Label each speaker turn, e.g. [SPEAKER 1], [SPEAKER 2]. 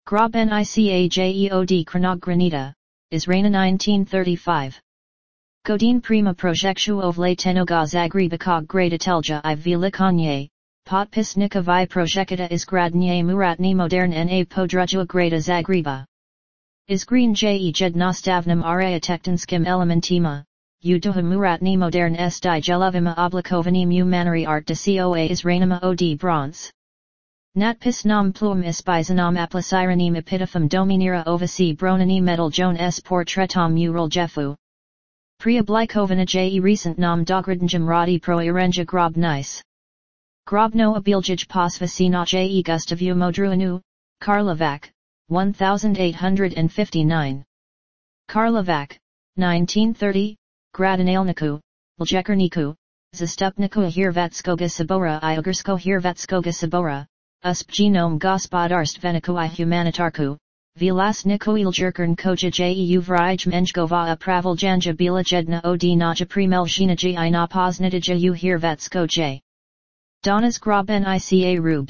[SPEAKER 1] Grob Nica Jeod Chronogranita, Israna 1935. Godin prima projectu ovle tenoga zagreba grada telja I velikanye, potpisnika vi projecta izgradnje muratni modern na podruja grada zagreba. Izgreen je jednostavnim area tektanskim elementima, uduha muratni modern sti jelovima oblikovanim u maneri art de coa izranima od bronze. Natpis nam pluum ispizanam apliciranim epitaphum dominira ovasi bronani metal joan s portretom mural jefu. Preoblikovana je recent nam dogradnjam radi pro irenja grob nice. Grobno abiljaj posvasina je gustavu modruanu, Karlovac, 1859. Karlovac, 1930, Gradinalniku, Ljekarniku, Zastupniku Hirvatskoga Sabora I Ugarsko Hirvatskoga Sabora, Uspgenom gospodarstveniku I humanitarku, Vlasniku Iljerkern koja je vrij menjgova pravel janja bila jedna od naja primeljinaji I na poznatija u Hirvatsko j. Donas grob Nica rubes.